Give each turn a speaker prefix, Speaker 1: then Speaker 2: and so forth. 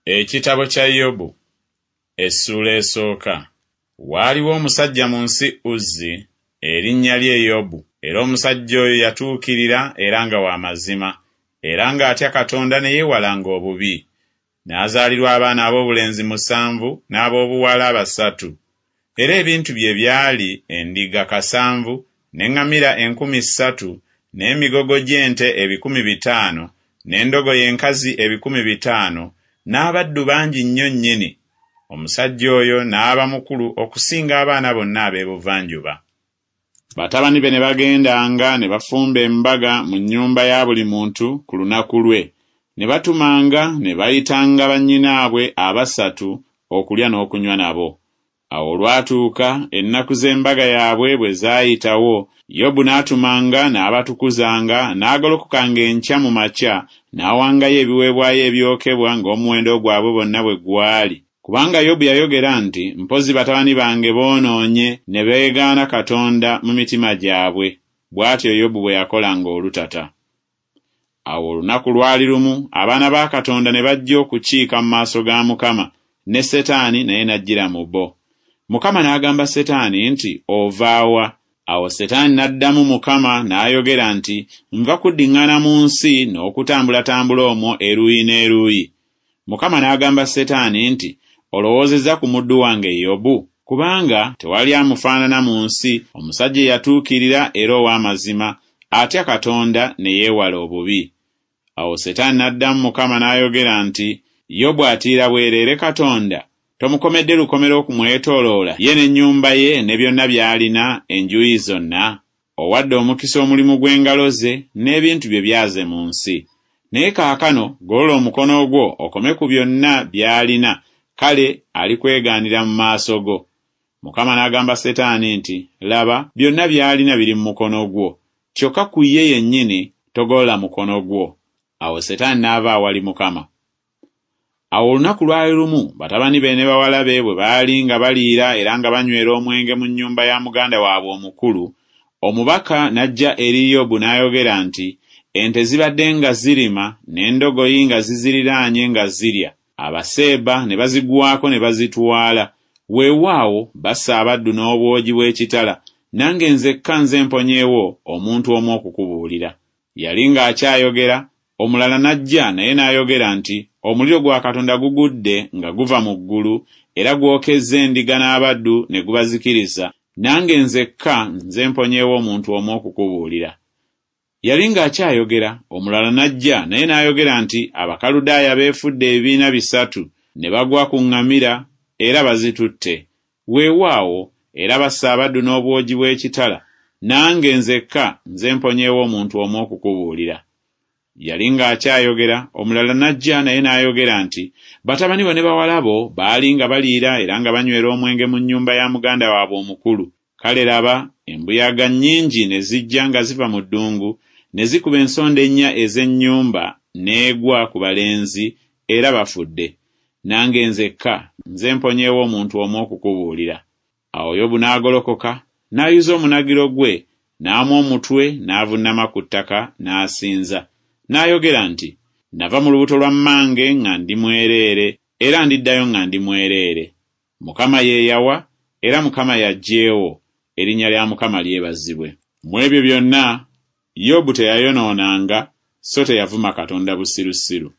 Speaker 1: Ekitabo kya Yobu Essuula esooka. Waaliwo omusajja mu nsi Uzzi, erinnya lye Yobu, era omusajja oyo yatuukirira era nga wa mazima, era ng'atya Katonda ne yeewalanga obubi. N'azaalirwa abaana ab'obulenzi musanvu n'ab'obuwala basatu. Era ebintu bye byali endiga kasanvu, n'eŋŋamira 3,000, n'emigogo gy'ente 500,000, n'endogoyi enkazi 500,000, n'abaddu bangi nnyo nnyini. Omusajja oyo n'aba mukulu okusinga abaana bonna ab'ebuvanjuba. Batabani be ne bagendanga ne bafumba embaga mu nnyumba ya buli muntu ku lunaku lwe, ne batumanga ne bayitanga bannyinaabwe abasatu okulya n'okunywa nabo. Awo olwatuuka, ennaku z'embaga yaabwe bwe zaayitawo, Yobu n'atumanga n'abatukuzanga, n'agolokokanga enkya mu makya, n'awangayo ebiweebwayo ebyokebwa ng'omuwendo gwabwe bonna bwe gwali. Kubanga Yobu yayogera nti, Mpozzi batabani bange boonoonye ne beegaana Katonda mu mitima gyabwe. Bw'atyo Yobu bwe yakolanga olutata. Awo olunaku lwali lumu abaana ba Katonda ne bajja okukiika mu maaso ga Mukama, ne Setaani naye n'ajjira mu bo. Mukama n'agamba Setaani nti, Ova wa? Awo Setaani n'addamu Mukama n'ayogera nti, Nva kuddiŋŋana mu nsi n'okutambulatambula omwo eruuyi n'eruuyi. Mukama n'agamba Setaani nti, Olowoozezza ku muddu wange Yobu? Kubanga tewali amufaanana mu nsi, omusajja eyatuukirira era ow'amazima, atya Katonda ne yeewala obubi. Awo Setaani n'addamu Mukama n'ayogera nti, Yobu atiira bwereere Katonda? Tomukomedde lukomera okumwetooloola, ye n'ennyumba ye ne byonna by'alina, enjuuyi zonna? Owadde omukisa omulimu gw'engalo ze, n'ebintu bye byaze mu nsi. Naye kaakano golola omukono gwo okome ku byonna by'alina, kale alikwegaanira mu maaso go. Mukama n'agamba Setaani nti, Laba, byonna by'alina biri mu mukono gwo, kyokka ku ye yennyini togolola mukono gwo. Awo Setaani n'ava awali Mukama. Awo olunaku lwali lumu batabani be ne bawala be bwe baali nga baliira era nga banywera omwenge mu nnyumba ya muganda waabwe omukulu, omubaka n'ajja eri Yobu n'ayogera nti, Ente zibadde nga zirima n'endogoyi nga ziziriraanye nga zirya, Abaseeba ne bazigwako ne bazitwala, weewaawo basse abaddu n'obwogi bw'ekitala, nange nzekka nze mponyeewo omuntu omu okukubuulira. Yali ng'akyayogera, omulala n'ajja naye n'ayogera nti, Omuliro gwa Katonda gugudde nga guva mu ggulu, era gwokezza endiga n'abaddu ne gubazikiriza, nange nzekka nze mponyeewo omuntu omu okukubuulira. Yali ng'akyayogera, omulala n'ajja naye n'ayogera nti, Abakaludaaya beefudde ebibiina bisatu, ne bagwa ku ŋŋamira, era bazitutte. Weewaawo, era basse abaddu n'obwogi bw'ekitala, nange nzekka nze mponyeewo omuntu omu okukubuulira. Yali ng'akyayogera, omulala n'ajja naye n'ayogera nti, Batabani bo ne bawala bo baali nga baliira era nga banywera omwenge mu nnyumba ya muganda waabwe omukulu, kale laba, embuyaga nnyingi ne zijja nga ziva mu ddungu, ne zikuba ensonda ennya ez'ennyumba, n'egwa ku balenzi, era bafudde. Nange nzekka nze mponyeewo omuntu omu okukubuulira. Awo Yobu n'agolokoka, n'ayuza omunagiro gwe, n'amwa omutwe, n'avunnama ku ttaka, n'asinza. N'ayogera nti, Nava mu lubuto lwa mmange nga ndi mwereere, era ndiddayo nga ndi mwereere. Mukama ye yawa, era Mukama y'aggyeewo, erinnya lya Mukama lyebazibwe. Mu ebyo byonna Yobu teyayonoonanga, so teyavuma Katonda busirusiru.